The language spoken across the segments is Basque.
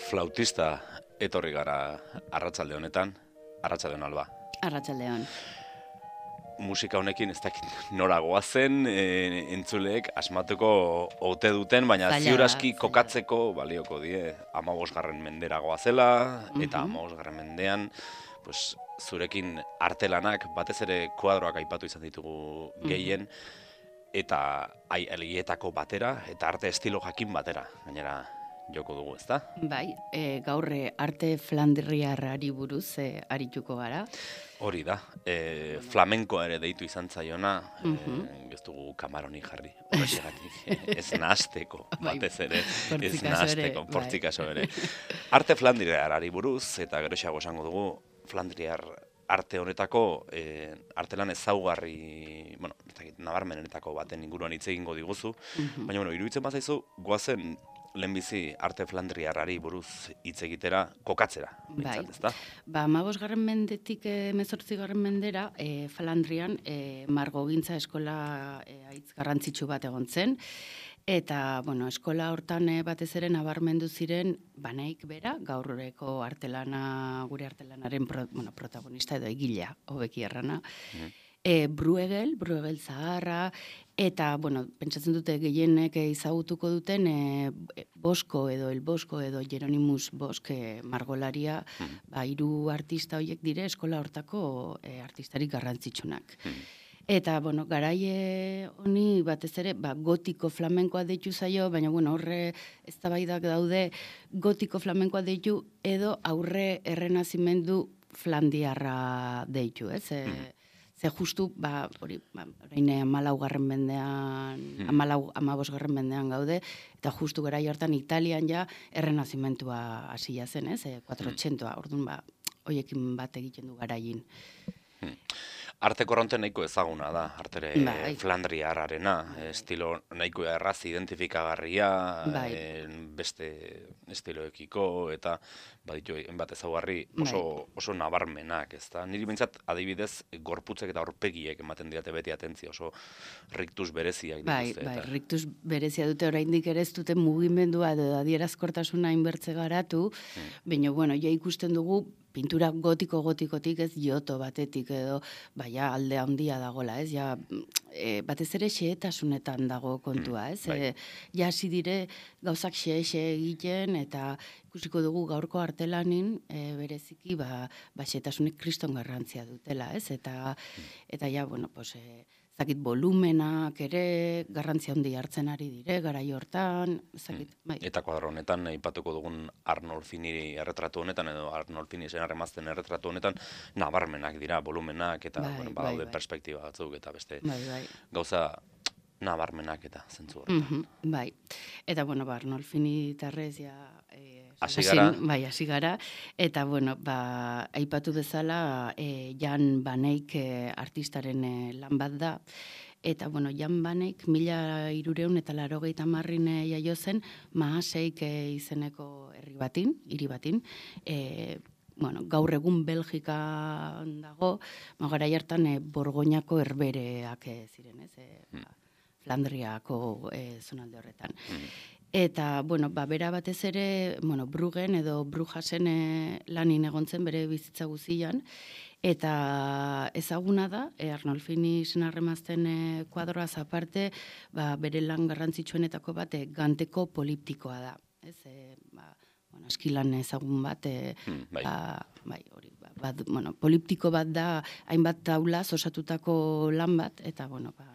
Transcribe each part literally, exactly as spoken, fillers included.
flautista etorri gara arratsalde honetan, arratsaldeon Alba. Arratsaldeon. Musika honekin ez dakit nora goazen, e, entzuleek asmatuko ote duten, baina Zaila, ziur aski zaila. kokatzeko balioko die hamabosgarren mendera goazela, eta Mhm. hamabosgarren mendean, pues, zurekin artelanak, batez ere kuadroak aipatu izan ditugu gehien, eta ai, alietako batera, eta arte estilo jakin batera, gainera joko dugu, ezta? Bai, e, gaur e, arte flandriarrari buruz e, arituko gara. Hori da, e, flamenkoa ere deitu izan zaiona, Mhm. e, ez dugu kamaronik jarri, horregatik, ez nahasteko, Bai, batez ere, ez portzikaso ere, nahasteko, bai. portzikaso ere. Arte flandriarrari buruz, eta geroxeago esango dugu, flandriar arte honetako, e, artelan ezaugarri, bueno, ez dakit, nabarmenenetako baten inguruan hitz egingo diguzu, baina, bueno, iruditzen bazaizu, goazen lehenbizi arte flandriarrari buruz hitz egitera, kokatzera, Bai. bintzat, ezta? Ba, hamabosgarren mendetik hemezortzigarren mendera, e, Flandrian e, margogintza eskola e, haitz garrantzitsu bat egon zen, eta, bueno, eskola hortan e, batez ere nabarmendu ziren Banaik bera, gaurreko artelana, gure artelanaren pro, bueno, protagonista edo egilea, hobeki errana, e, Bruegel, Bruegel zaharra, eta, bueno, pentsatzen dute gehienek ezagutuko duten e, Bosko edo El Bosko edo Jeronimus Bosk e, margolaria, ba, hiru artista horiek dire eskola hortako e, artistarik garrantzitsunak. Eta, bueno, garaie honi batez ere, ba, gotiko flamenkoa deitu zaio, baina, bueno, horre eztabaidak daude gotiko flamenkoa deitu edo aurre errenazimendu flandiarra deitu, ez? E, Ze justu, ba, hori, ba, orain hamalaugarren mendean, hamalau, hamabosgarren mendean gaude, eta justu garai hortan Italian ja errenazimentua hasia zen, ez? E, kuatrotxentoa, orduan, ba, hoiekin bat egiten du garaien. Arte korronte nahiko ezaguna da, artere Bai. flandriarrarena, estilo nahiko erraz identifikagarria, Bai. eh, beste estiloekiko, eta baditu bat ezaugarri oso, oso nabarmenak, ezta? Niri behintzat adibidez gorputzek eta aurpegiek ematen diate beti atentzia, oso riktus bereziak Bai, dituzte. bai, eta- riktus berezia dute oraindik ere ez dute mugimendua edo adierazkortasuna inbertze garatu, baina, bueno, ja ikusten dugu pintura gotiko-gotikotik ez joto batetik edo, baina alde handia dagola, ez? Ja, e, batez ere xehetasunetan dago kontua, ez? bai. E, ja hasi dire gauzak xe-xe egiten eta ikusiko dugu gaurko artelanin e, bereziki ba, ba xehetasunek kriston garrantzia dutela, ez? Eta, eta ja, bueno, pues, e, zakit volumenak ere garrantzia handi hartzen ari dire, garai hortan, zakit, bai. Eta kuadro honetan, aipatuko dugun Arnolfini erretratu honetan, edo Arnolfini senarremazten erretratu honetan, nabarmenak dira, volumenak, eta Bai, bueno, bai, badaude bai. perspektiba batzuk, eta beste Bai, bai. gauza nabarmenak eta zentzu horretan. Mhm, bai. Eta, bueno, ba, Arnolfini tarrez ja... E, Hasi hasi- gara. Bai, hasi gara. Eta, bueno, ba, aipatu bezala, e, Jan Baneik e, artistaren e, lan bat da. Eta, bueno, Jan Baneik mila irureun eta larogeita marrin e, jaio zen, Mahaseik e, izeneko herri batin, hiri batin, e, bueno, gaur egun Belgikan dago, ma garai hartan e, Borgoñako herbereak e, ziren, ez? E, ba, Flandriako e, zonalde horretan. Eta, bueno, ba, bera batez ere, bueno, Bruggen edo Brujasen e, lanin egon zen bere bizitza guzian, eta ezaguna da, e, Arnolfini senarremazten e, kuadroaz aparte, ba, bere lan garrantzitsuenetako bat e, ganteko poliptikoa da. Ez, e, ba, bueno, eskilan ezagun bat, e, Hmm, bai. ba, bai, hori, ba, ba, bueno, poliptiko bat da, hainbat taulaz osatutako lan bat, eta, bueno, ba,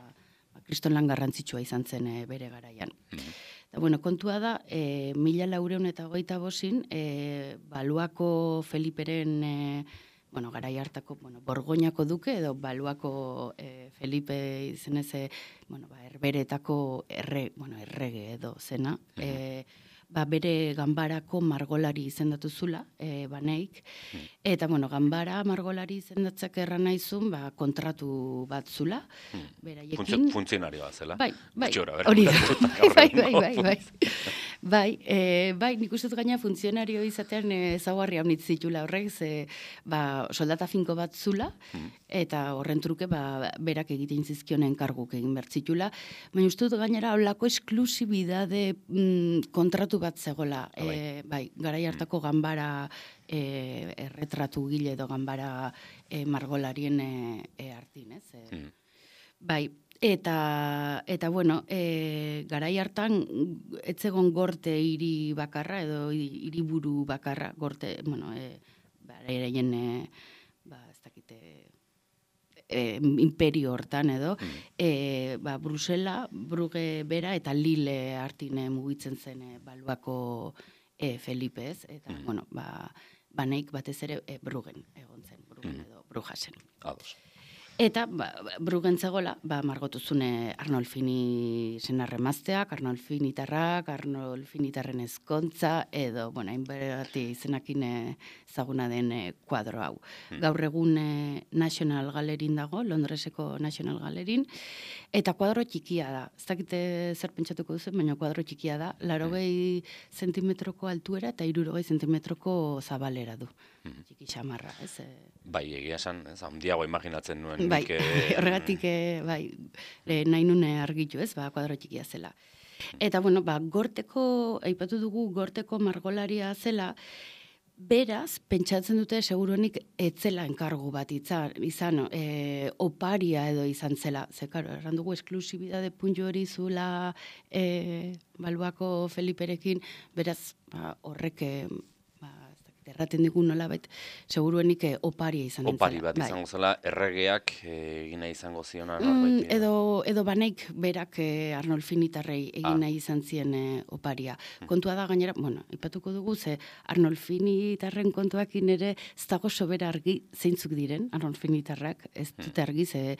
ba, kriston lan garrantzitsua izan zen e, bere garaian. Eta, bueno, kontua da, e, mila laureun eta hogeita bosin, e, Baluako Feliperen, e, bueno, garai hartako, bueno, Borgoñako duke edo Baluako e, Felipe izenez, e, bueno, ba, herberetako erre, bueno, errege edo zena, e, ba, bere ganbarako margolari izendatu zula, e, Baneik, eta, bueno, ganbara margolari izendatzak erran naizun, ba, kontratu bat zula, beraiekin. Funtzio- Funtzionarioa zela. Bai, bai, Gutxi gora bera, hori da. ulertuta gaur Bai, egungo bai, bai, bai. Bai, e, bai, nik uste dut gaina funtzionario izatean ezaugarri haunitz zitula horrek, ze ba, soldata finko bat zula, eta horren truke ba, berak egiten zizkionen karguk egin bertzitula. Baina uste dut gainera holako esklusibidade mm, kontratu bat zegola. E, bai, garai hartako ganbara e, erretratu gile edo ganbara e, margolarien e, e, artin, ez? E, mm. Bai, Eta, eta bueno, e, garai hartan, etzegon gorte hiri bakarra, edo hiriburu bakarra, gorte, bueno, e, baraien, e, ba, ez dakite, e, imperio hortan edo, mm. e, ba, Brusela, Bruge bera eta Lille hartine mugitzen zen e, baluako e, Felipe, ez? Eta, mm. bueno, ba, baneik batez ere e, Brugen egon zen, Brugen mm. edo Brujasen. Ados. Eta, ba, Brugen zegoela, ba, margotuzune Arnolfini senarremazteak, Arnolfinitarrak, Arnolfinitarren ezkontza, edo, bueno, hainberati izenakin ezaguna den kuadro hau. Hmm. Gaur egun National Gallerin dago, Londreseko National Gallerin, eta kuadro txikia da. Ez dakite zer pentsatuko duzu, baina kuadro txikia da. Larogei hmm. zentimetroko altuera eta hirurogei zentimetroko zabalera du. Hmm. Txiki xamarra, ez? Bai, egia esan, ez handiago imaginatzen nuen. Bai, horregatik, bai, nahi nune argitu, ez, ba, kuadro txikia zela. Eta, bueno, ba, gorteko, aipatu dugu, gorteko margolaria zela, beraz, pentsatzen dute, seguruenik, etzela enkargu bat izan, izan e, oparia edo izan zela. Ze, karo, erran dugu, esklusibidade puntu hori zula e, Balboako Feliperekin, beraz, ba, horrek... erraten digu nola bait, seguruenik eh, oparia izan nintzela. Opari bat izango zela, erregeak egina eh, izango ziona. Mm, edo, edo baneik berak eh, Arnolfinitarrei egina ah. izan zien eh, oparia. Hmm. Kontua da gainera, bueno, ipatuko dugu, ze Arnolfinitarren kontuakin ere ez dago sobera argi zeintzuk diren, Arnolfinitarrak, ez dute argi, ze,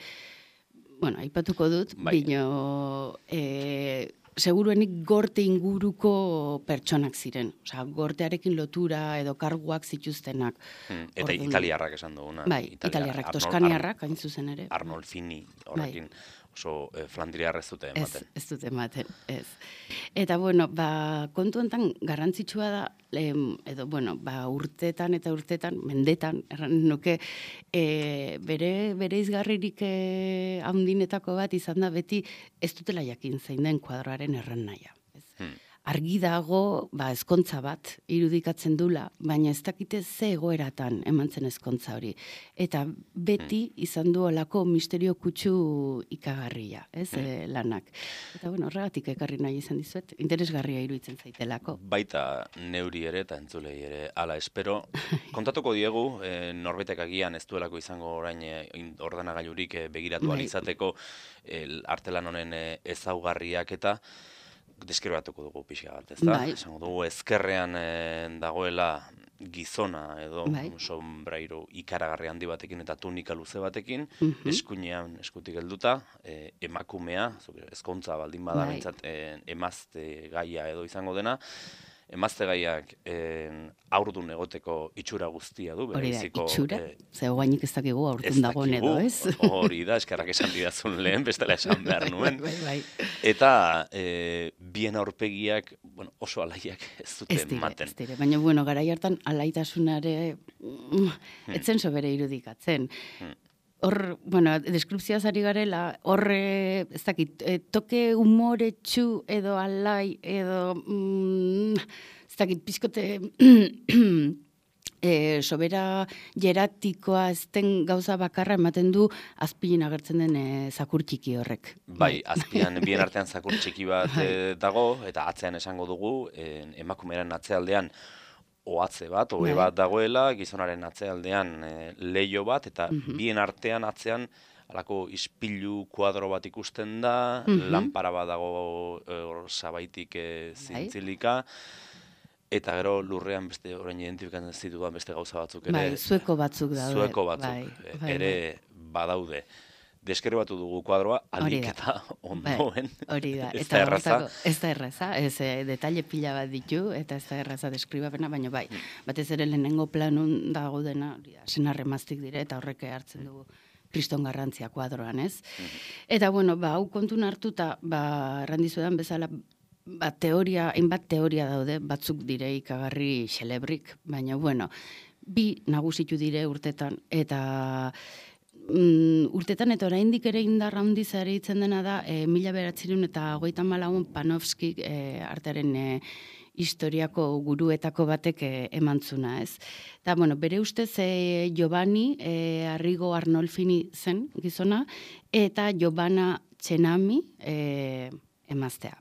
bueno, ipatuko dut, bai. Bino... Eh, seguruenik gorte inguruko pertsonak ziren. Osea, gortearekin lotura edo karguak zituztenak. Hmm, eta Ordun, italiarrak esan duguna. Bai, Italia, italiarrak, Arnol, toskaniarrak, hain zuzen ere. Arnolfini horrekin. Bai. Oso eh, Flandriar ez dute ematen. Ez, ez dute ematen, ez. Eta, bueno, ba, kontu enten garrantzitsua da, em, edo, bueno, ba, urtetan eta urtetan, mendetan, erran nuke, e, bere, bere izgarririk e, handinetako bat izan da beti ez dutela jakin zein den kuadroaren erran nahia. Ez. Hmm. Argi dago, ba, ezkontza bat irudikatzen dula, baina ez dakite ze egoeratan eman zen ezkontza hori. Eta beti izan du olako misterio kutsu ikagarria, ez, mm. e, lanak. Eta, bueno, horregatik ekarri nahi izan dizuet, interesgarria iruditzen zaitelako. Baita neuri ere eta entzulei ere, ala espero. Kontatuko diegu, e, norbetek agian ez duelako izango orain e, ordenagailurik e, begiratu alizateko e, artelan honen e, ezaugarriak eta deskribatuko dugu pixka bat, ez da? Bai. Esango dugu ezkerrean e, dagoela gizona edo bai. Sombrairo ikaragarri handi batekin eta tunika luze batekin, uh-huh. eskuinean eskutik helduta, e, emakumea, ezkontza baldin bada bai. Bintzat, e, emazte gaia edo izango dena, emazte gaiak eh, aurdun egoteko itxura guztia du. Hori da, itxura? Eh, Ze guainik ez dakigu aurdun dagoen edo, ez? Hori da, eskerrak esan didazun lehen, bestela esan behar nuen. bai, bai, bai. Eta eh, bien aurpegiak bueno, oso alaiak ez dute ez dire, maten. Ez dire, baina bueno, garai hartan alaitasunare mm, etzen sobere irudikatzen. Hmm. Hor, bueno, deskripzioaz ari garela, horre, ez dakit, e, toke humoretsu edo alai, edo, mm, ez dakit, pizkote, e, sobera jeratikoa ez den gauza bakarra ematen du azpilin agertzen den e, zakur txiki horrek. Bai, azpian, bien artean zakur txiki bat e, dago, eta atzean esango dugu, e, emakumearen atzealdean, ohatze bat, ohe bat dagoela, gizonaren atzealdean e, leio bat, eta uh-huh. bien artean atzean alako ispilu kuadro bat ikusten da, uh-huh. lanpara bat dago e, sabaitik e, zintzilika, eta gero lurrean beste orain identifikatzen zitudan beste gauza batzuk ere. Bai, zueko batzuk daude. Zueko batzuk bai, bai, ere bai. Badaude. Deskribatu dugu kuadroa, alik eta ondoen. Hori da, ez eta da erraza. Ez da erraza, ez e, detalle pila bat ditu, eta ez da erraza deskribapena, baina bai, batez ere lehenengo planun dago dena, senarremaztik dire, eta horrek hartzen dugu kriston garrantzia kuadroan, ez? Mm-hmm. Eta, bueno, ba, hau kontun hartuta, ba, errandizudan bezala, ba, teoria, hainbat teoria daude, batzuk dire ikagarri xelebrik, baina, bueno, bi nagusitu dire urtetan, eta mm, urtetan eta oraindik ere indarra handiz ere hitzen dena da, e, mila beratzerun eta hogeita hamalau Panofsky e, artearen e, historiako guruetako batek e, emantzuna, ez? Eta, bueno, bere ustez e, Giovanni e, Arrigo Arnolfini zen gizona, eta Giovanna Cenami e, emaztea.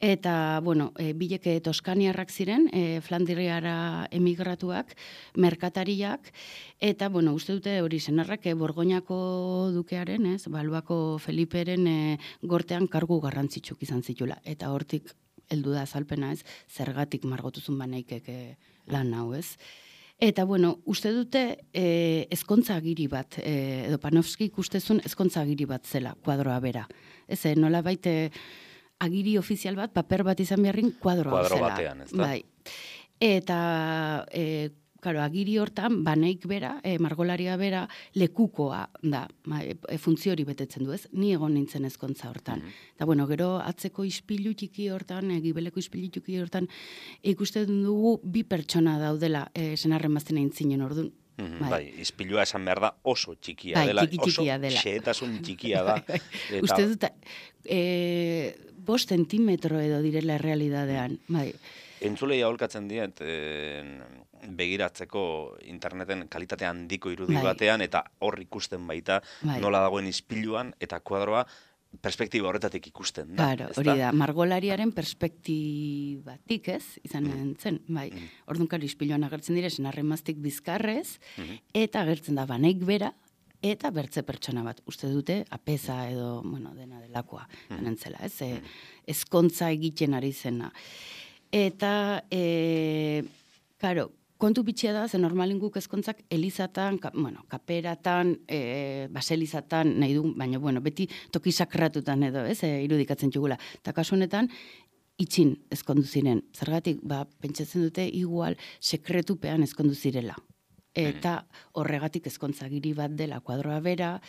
Eta, bueno, e, bilek toskaniarrak ziren, e, Flandriara emigratuak, merkatariak, eta, bueno, uste dute hori senarrak e, Borgoñako dukearen, ez, Balboako Feliperen e, gortean kargu garrantzitsuk izan zitula. Eta hortik heldu da azalpena, ez, zergatik margotuzun baneikek e, lan hau, ez. Eta, bueno, uste dute e, ezkontza agiri bat, e, edo Panofsky ikustezun ezkontza agiri bat zela, kuadroa bera. Ez, e, nola baite agiri ofizial bat, paper bat izan beharrin kuadroa Kuadro zela. batean, ez da? Bai. Eta, e, claro, agiri hortan, baneik bera, e, margolaria bera, lekukoa da, ma, e, funtzio hori betetzen du, ez? Ni egon nintzen ezkontza hortan. Mhm. Eta, bueno, gero atzeko ispilu txiki hortan, e, gibeleko ispilu txiki hortan, ikusten dugu bi pertsona daudela, e, senarren bazten aintzinen orduan. Mhm, Bai. bai, ispilua esan behar da oso txikia Bai, dela, txiki txikia oso dela. xehetasun txikia da. Bai, eta- Uste dut, e, bost zentimetro edo direla errealidadean. Bai. Entzulei aholkatzen diet eh, begiratzeko interneten kalitate handiko irudi Bai. batean, eta hor ikusten baita Bai. nola dagoen ispiluan eta kuadroa perspektiba horretatik ikusten da. Claro, ezta? hori da, margolariaren perspektibatik, ez, izan Mm. zen, bai. Mm. Orduan, karo, ispiluan agertzen dire, senarremaztik bizkarrez, Mhm. eta agertzen da baneik bera, eta bertze pertsona bat. Uste dute, apeza edo, bueno, dena delakoa, Mhm. anentzela, ez, e, Mhm. ezkontza egiten ari zena. Eta, e, karo, kontu bitxia da, ze normalin guk ezkontzak elizatan, ka, bueno, kaperatan, e, baselizatan nahi du, baina, bueno, beti toki sakratutan edo, ez, e, irudikatzen txugula. Eta kasu honetan, itxin ezkondu ziren. Zergatik, ba, pentsatzen dute igual sekretupean ezkondu zirela. Eta horregatik ezkontzagiri bat dela kuadroa bera,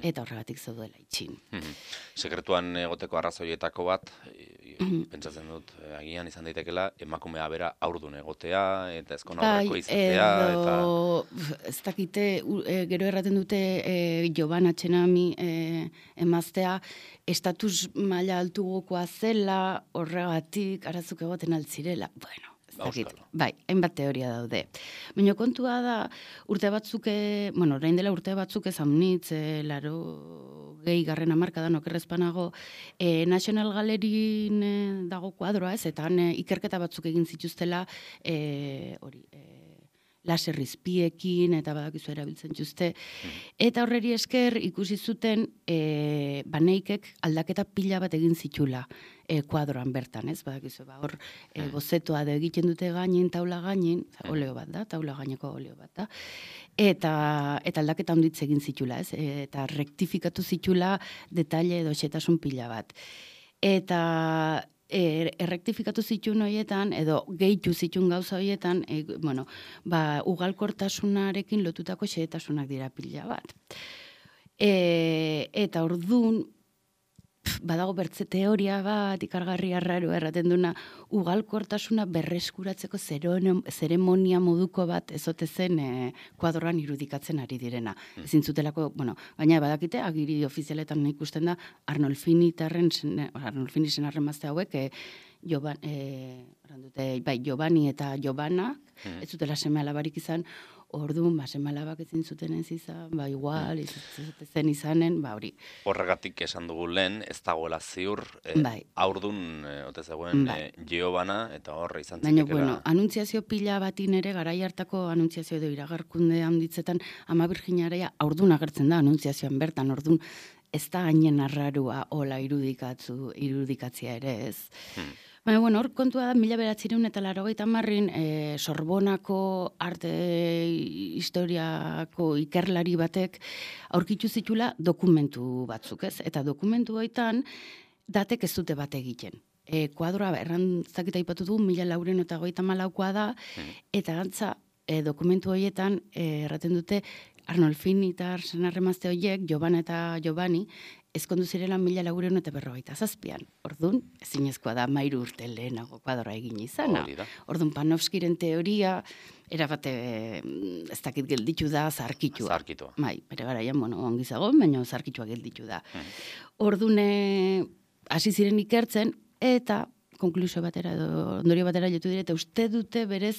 eta horregatik zaudela itxin. Mhm. Sekretuan egoteko arrazoietako bat, e, pentsatzen dut, e, agian izan daitekela, emakumea bera haurdun egotea, eta ezkon aurreko izatea, edo, ez dakite, u- e, gero erraten dute e, Giovanna Cenami e, emaztea, estatus maila altugokoa zela, horregatik arazuk egoten altzirela. Bueno, ez dakit. Auskalo. Bai, hainbat teoria daude. Baina kontua da, urte batzuk, e, bueno, orain dela urte batzuk ezamnitz, e, laro gehi garren amarkadan okerrezpanago, e, National Gallerin e, dago kuadroa, ez, eta han e, ikerketa batzuk egin zituztela, e, hori, e, laser izpiekin, eta badakizu erabiltzen txuzte. Eta horreri esker ikusi zuten e, baneikek aldaketa pila bat egin zitula e, kuadroan bertan, ez? Badakizu, ba, hor e, bozetoa da egiten dute gainin, taula gainin, oleo bat da, taula gaineko oleo bat da, eta, eta aldaketa onditz egin zitula, ez? E, eta rektifikatu zitula detalle edo xetasun pila bat. Eta er, errektifikatu zituen horietan, edo gehitu zituen gauza horietan, e, bueno, ba, ugalkortasunarekin lotutako xehetasunak dira pila bat. E, eta ordun badago bertze teoria bat, ikargarri arraro erraten duna, ugalkortasuna berreskuratzeko zeremonia moduko bat ezote zen e, kuadroan irudikatzen ari direna. Mm. Ezin zutelako, bueno, baina badakite, agiri ofizialetan ikusten da, Arnolfini tarren, Arnolfini senarren mazte hauek, e, Joban, e, dute, bai, Giovanni eta Giovanna, mm. ez zutela seme alabarik izan, orduan, ba, seme alabak ezin zuten ez izan, ba, igual, ez zen izanen, ba, hori. Horregatik esan dugu lehen, ez dagoela ziur, e, Bai. haurdun, e, ote zegoen, Bai. e, Giovanna, eta horre izan Baina, zitekela. bueno, anuntziazio pila batin ere, garai hartako anuntziazio edo iragarkunde handitzetan, Ama Birjinaria haurdun agertzen da anuntziazioan bertan, ordun ez da hainen arrarua hola irudikatzu, irudikatzia ere ez. Hmm. Baina, bueno, hor kontua da, mila beratzireun eta laurogeita hamarrin, e, Sorbonako arte historiako ikerlari batek aurkitu zitula dokumentu batzuk, ez? Eta dokumentu hoitan datek ez dute bat egiten. E, kuadroa, erran zakita ipatu du, mila lauren eta goita malaukoa da, eta gantza, e, dokumentu horietan, e, erraten dute, Arnolfini eta senarremazte horiek, Giovanna eta Giovanni, ezkondu zirela mila lagureun eta berrogeita zazpian. Ordun, ezinezkoa da mairu urte lehenago kuadroa egin izana. Ordun, Panofskiren teoria, erabate, ez dakit gelditu da, zarkitua. Zarkitua. Bai, bere garaian, bueno, ongi zagon, baina zarkitua gelditu da. Hmm. Ordun, hasi ziren ikertzen, eta konklusio batera edo ondorio batera jotu dire, eta uste dute berez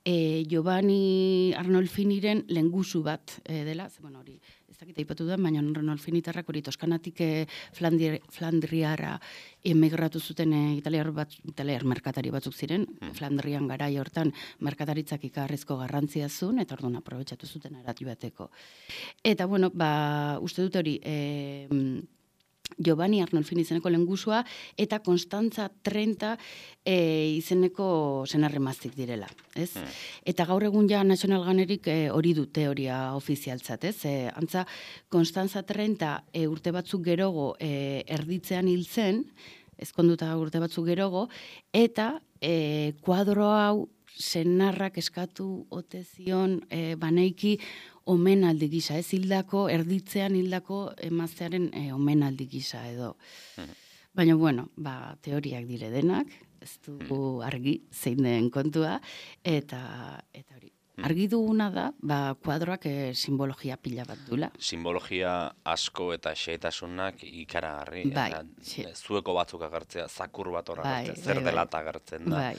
e, Giovanni Arnolfiniren lengusu bat e, dela, ze, bueno, hori, ez dakit aipatu da, baina Arnolfinitarrak hori Toskanatik e, Flandri, Flandriara emigratu zuten e, italiar, bat, italiar merkatari batzuk ziren, mm. Flandrian garai hortan merkataritzak ikarrezko garrantzia zuen, eta orduan aprobetxatu zuten arati bateko. Eta, bueno, ba, uste dute hori, e, Giovanni Arnolfini izeneko lengusua eta Constanza Trenta e, izeneko senarremaztik direla, ez? Mm. Eta gaur egun ja National Ganerik hori e, du teoria ofizialtzat, ez? E, antza, Constanza Trenta e, urte batzuk gerogo e, erditzean hil zen, ezkonduta urte batzuk gerogo, eta e, kuadro hau senarrak eskatu ote zion e, baneiki omenaldi gisa, ez hildako, erditzean hildako emaztearen e, omenaldi gisa edo. Mm. Baina, bueno, ba, teoriak dire denak, ez du argi zein den kontua, eta eta hori. Argi duguna da, ba, kuadroak e, simbologia pila bat dula. Simbologia asko eta xehetasunak ikaragarri. Bai, eta, zueko batzuk agertzea, zakur bat horra bai, agertzea, zer bai, dela eta agertzen da. Bai.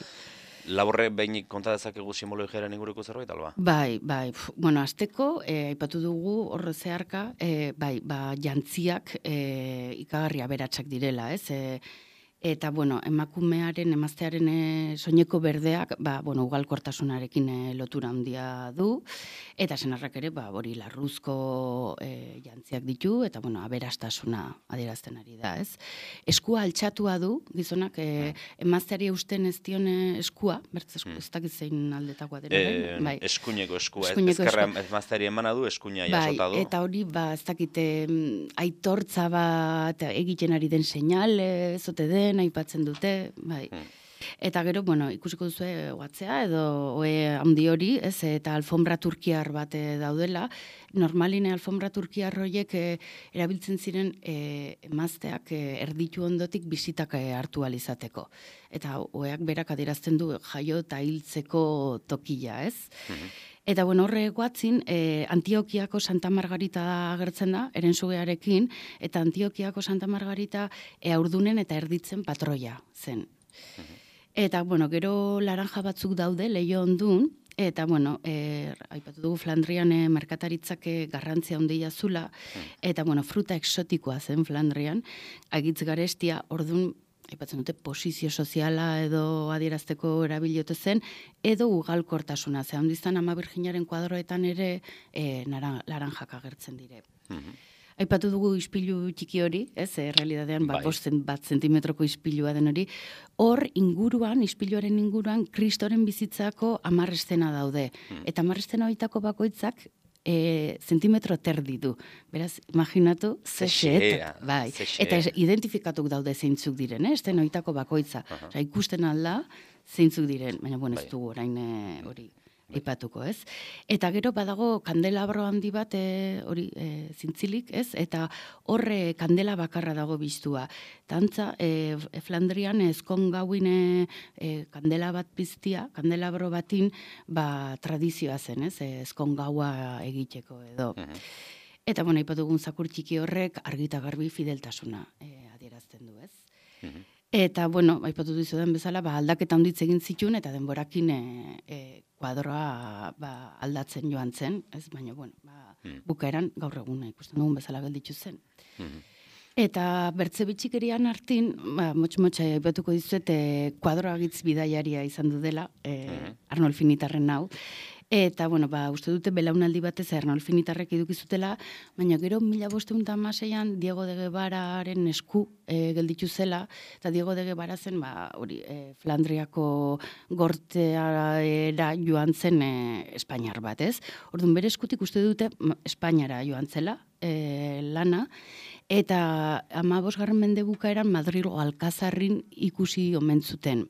Laborre behin konta dezakegu simbologiaren inguruko zerbait, alba? Bai, bai. Bueno, azteko, eh, aipatu dugu horre zeharka, eh, bai, ba, jantziak eh, ikagarria beratsak direla, ez? Eh, eta, bueno, emakumearen, emaztearen e, soineko berdeak, ba, bueno, ugalkortasunarekin e, lotura handia du, eta senarrak ere, ba, hori larruzko e, jantziak ditu, eta, bueno, aberastasuna adierazten ari da, ez? Eskua altxatua du, gizonak, e, emazteari eusten ez dion eskua, bertz esku, ez dakit zein aldetakoa dira, e, bai. Eskuineko eskua, eskuineko ezkerra emazteari emana du, eskuina jasota du. Bai, eta hori, ba, ez dakit, aitortza bat egiten ari den seinale, zote den, aipatzen dute, bai. Hmm. Eta gero, bueno, ikusiko duzu egoatzea edo oe handi hori, ez, eta alfombra turkiar bat daudela. Normaline alfombra turkiar horiek e, erabiltzen ziren e, emazteak e, erditu ondotik bisitak e, hartu alizateko. Eta oeak berak adierazten du jaio eta hiltzeko tokia, ez? Hmm. Eta, bueno, horre guatzin, eh, Antiokiako Santa Margarita agertzen da, erensugearekin, eta Antiokiako Santa Margarita e, aurdunen eta erditzen patroia zen. Uh-huh. Eta, bueno, gero laranja batzuk daude, leio ondun, eta, bueno, e, aipatu dugu Flandrian e, merkataritzak garrantzia handia zula, uh-huh. eta, bueno, fruta exotikoa zen Flandrian, agitz garestia, ordun, aipatzen dute, posizio soziala edo adierazteko erabiliote zen, edo ugalkortasuna. Ze handiztan Ama Birjinaren kuadroetan ere e, nara, laranjak agertzen dire. Mm-hmm. Aipatu dugu ispilu txiki hori, ez, e, realidadean bat, bost bat zentimetroko ispilua den hori. Hor inguruan, ispiluaren inguruan, Kristoren bizitzako hamar estena daude. Mm. Eta hamar estena horietako bakoitzak, E, zentimetro terdi du. Beraz, imaginatu, zexet, bai. Eta identifikatuk daude zeintzuk diren, eh? Este noitako bakoitza. Uh-huh. Osa, ikusten alda, zeintzuk diren. Baina, bueno, ez bai. dugu orain hori ipatuko, ez? Eta gero badago kandelabro handi bat hori e, zintzilik, ez? Eta horre kandela bakarra dago biztua. Tantza, e, Flandrian ezkon gauin e, kandela bat piztia, kandelabro batin, ba, tradizioa zen, ez? Ezkon gaua egiteko edo. Uh-huh. Eta, bueno, ipatugun zakur txiki horrek argita garbi fideltasuna e, adierazten du, ez? Uh-huh. Eta, bueno, aipatu dizudan bezala, ba, aldaketa handitz egin zituen, eta denborakin e, e, kuadroa ba, aldatzen joan zen, ez? Baina, bueno, ba, mm. bukaeran gaur egun ikusten dugun bezala gelditu zen. Mm-hmm. Eta bertze bitxikerian hartin, ba, motx-motxa aipatuko dizuet, e, kuadroa gitz bidaiaria izan du dela, e, mm-hmm. Arnolfinitarren hau. Eta, bueno, ba, uste dute belaunaldi batez Arnolfinitarrek edukizutela, baina gero mila bosteun eta hamaseian Diego de Guevararen esku e, gelditu zela, eta Diego de Guevara zen, ba, hori, e, Flandriako gorteara joan zen e, Espainiar bat, ez? Orduan, bere eskutik uste dute Espainiara joan zela, e, lana, eta hamabosgarren mende bukaeran Madrilgo Alkazarrin ikusi omen zuten.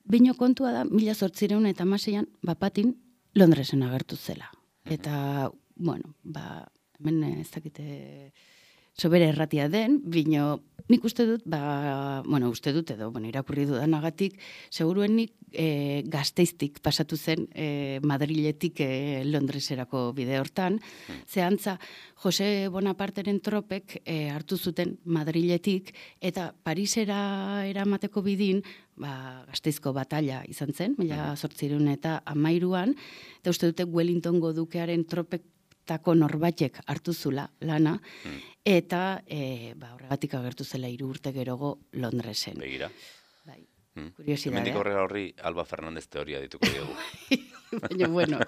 Bino kontua da, mila zortzireun eta hamaseian, bapatin, Londresen agertu zela. Eta, bueno, ba, hemen ez dakite sobera erratia den, bino nik uste dut, ba, bueno, uste dut edo, bueno, irakurri dudanagatik, seguruen nik e, Gasteiztik pasatu zen e, Madriletik e, Londreserako bide hortan, zehantza Jose Bonaparteren tropek e, hartu zuten Madriletik eta Parisera eramateko bidin, ba, Gasteizko batalla izan zen, mila zortziehun eta hamairuan, eta uste dute Wellingtongo dukearen tropek tako norbaitek hartu zula lana, eta e, ba, horregatik agertu zela hiru urte gerogo Londresen. Begira. Bai, Hmm. kuriosidadea. Hemendik aurrera horri Alba Fernandez teoria dituko diogu. Baina, bueno,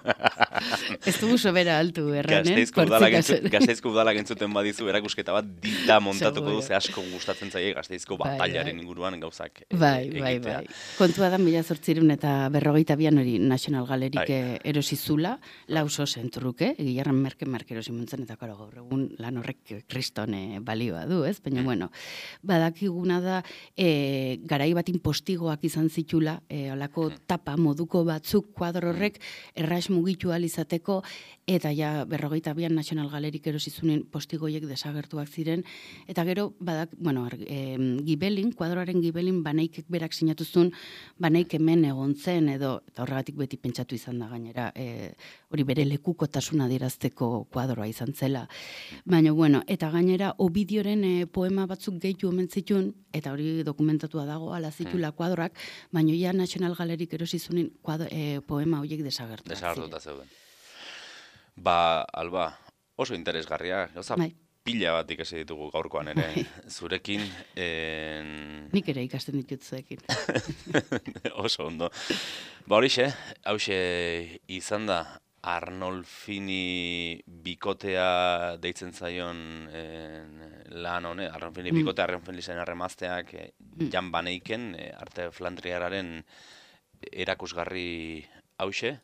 ez dugu sobera altu erranen. Gasteizko udala gentzu, Gasteizko udala gentzuten badizu erakusketa bat dita montatuko du, ze asko gustatzen zaie Gasteizko Bai, batailaren bai. inguruan gauzak e, Bai, bai, egitea. bai. Kontua da mila zortzirun eta berrogeita bian hori National Gallerik Bai. eh, erosi zula, lauso zentruke, Gilarran merke merke erosi muntzen, eta karo gaur egun lan horrek kriston eh, balioa du, ez? Baina, bueno, badakiguna da eh, garai batin postigoak izan zitula, eh, olako tapa moduko batzuk kuadro horrek erraz mugitu ahal izateko, eta ja berrogeita bian National Gallerik erosi zunen postigoiek desagertuak ziren, eta gero, badak, bueno, ar, e, gibelin, kuadroaren gibelin Banaikek berak sinatu zuen, Banaik hemen egon zen, edo, eta horregatik beti pentsatu izan da gainera, e, hori bere lekukotasuna adierazteko kuadroa izan zela. Baina, bueno, eta gainera, Ovidioren e, poema batzuk gehitu omen zituen, eta hori dokumentatua dago, ala zitula kuadroak, baina ja National Gallerik erosi zunen kuadro, e, poema horiek desagertuak Desagertuta zeuden. Ba, Alba, oso interesgarria, gauza Bai. pila bat ikasi ditugu gaurkoan ere zurekin. En... Nik ere ikasten ditut zuekin. Oso ondo. Ba horixe, hauxe izan da Arnolfini bikotea deitzen zaion en, lan hone, Arnolfini Mm. bikotea, Arnolfini zen arremazteak eh, Jan Baneiken, eh, arte flandriararen erakusgarri hauxe.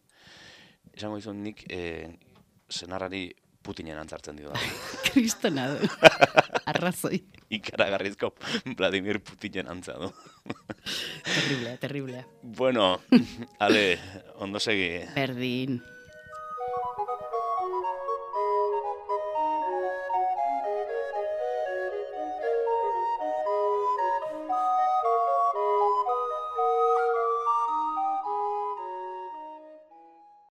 Esango dizut nik eh, senarrari Putinen antzartzen dio da. Kristona du. Arrazoi. Ikaragarrizko Vladimir Putinen antza du. Terriblea, terriblea. Bueno, ale, ondo segi. Berdin.